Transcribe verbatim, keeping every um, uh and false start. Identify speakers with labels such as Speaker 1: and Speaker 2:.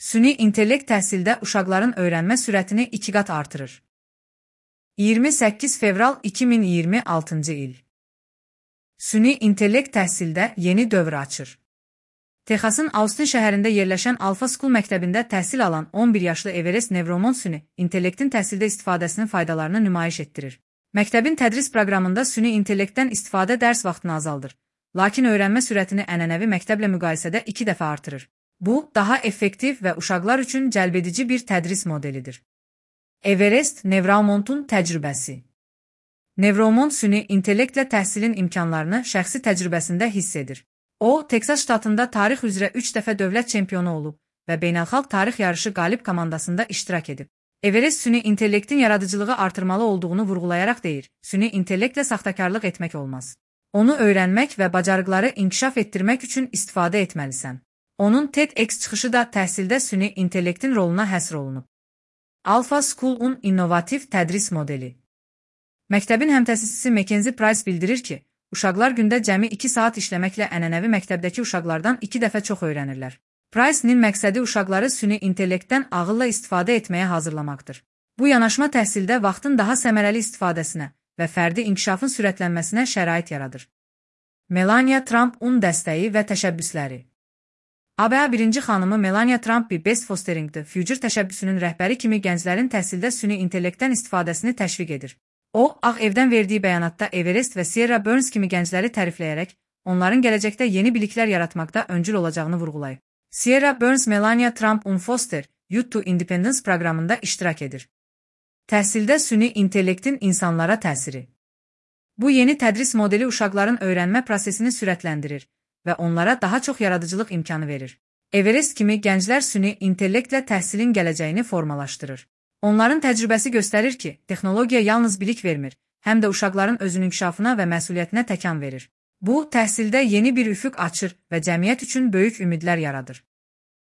Speaker 1: Süni intellekt təhsildə uşaqların öyrənmə sürətini iki qat artırır. iyirmi səkkiz fevral iki min iyirmi altıncı il. Süni intellekt təhsildə yeni dövr açır. Texasın Austin şəhərində yerləşən Alpha School məktəbində təhsil alan on bir yaşlı Everest Nevromont süni intellektin təhsildə istifadəsinin faydalarını nümayiş etdirir. Məktəbin tədris proqramında süni intellektdən istifadə dərs vaxtını azaldır, lakin öyrənmə sürətini ənənəvi məktəblə müqayisədə iki dəfə artırır. Bu, daha effektiv və uşaqlar üçün cəlbedici bir tədris modelidir. Everest Nevromontun təcrübəsi. Nevromont süni intellektlə təhsilin imkanlarını şəxsi təcrübəsində hiss edir. O, Teksas ştatında tarix üzrə üç dəfə dövlət çempionu olub və beynəlxalq tarix yarışı qalib komandasında iştirak edib. Everest süni intellektin yaradıcılığı artırmalı olduğunu vurğulayaraq deyir, süni intellektlə saxtakarlıq etmək olmaz. Onu öyrənmək və bacarıqları inkişaf etdirmək üçün istifadə etməlisən. Onun TEDx çıxışı da təhsildə süni intellektin roluna həsr olunub. Alpha School-un innovativ tədris modeli. Məktəbin həmtəsisisi Mackenzie Price bildirir ki, uşaqlar gündə cəmi iki saat işləməklə ənənəvi məktəbdəki uşaqlardan iki dəfə çox öyrənirlər. Price'nin məqsədi uşaqları süni intellektdən ağılla istifadə etməyə hazırlamaqdır. Bu yanaşma təhsildə vaxtın daha səmərəli istifadəsinə və fərdi inkişafın sürətlənməsinə şərait yaradır. Melania Trump'un dəstəyi və təşəbbüsləri. A B A birinci xanımı Melania Trump bir Best Fostering the Future təşəbbüsünün rəhbəri kimi gənclərin təhsildə süni intellektdən istifadəsini təşviq edir. O, Ağ Evdən verdiyi bəyanatda Everest və Sierra Burns kimi gəncləri tərifləyərək, onların gələcəkdə yeni biliklər yaratmaqda öncül olacağını vurğulayıb. Sierra Burns Melania Trump'un Foster Youth to Independence proqramında iştirak edir. Təhsildə süni intellektin insanlara təsiri. Bu yeni tədris modeli uşaqların öyrənmə prosesini sürətləndirir və onlara daha çox yaradıcılıq imkanı verir. Everest kimi gənclər süni intellektlə təhsilin gələcəyini formalaşdırır. Onların təcrübəsi göstərir ki, texnologiya yalnız bilik vermir, həm də uşaqların özünün inkişafına və məsuliyyətinə təkan verir. Bu, təhsildə yeni bir üfüq açır və cəmiyyət üçün böyük ümidlər yaradır.